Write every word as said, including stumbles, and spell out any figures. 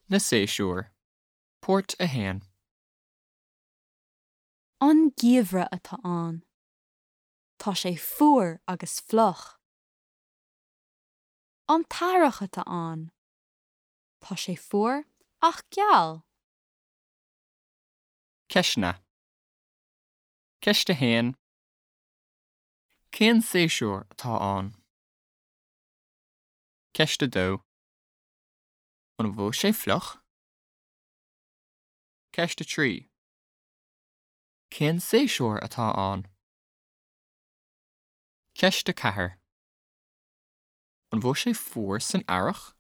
Na séasúir. Páirt a haon. An geimhreadh atá ann. Tá sé fuar agus fliuch. An t-earrach atá ann. Tá sé fuar ach geal. Ceisteanna. Ceist a haon. Cén séasúr atá ann? Ceist a dó. An bhfuil sé fliuch? Ceist a trí. Cén séasúr atá ann? Ceist a ceathair. An bhfuil sé fuar san earrach?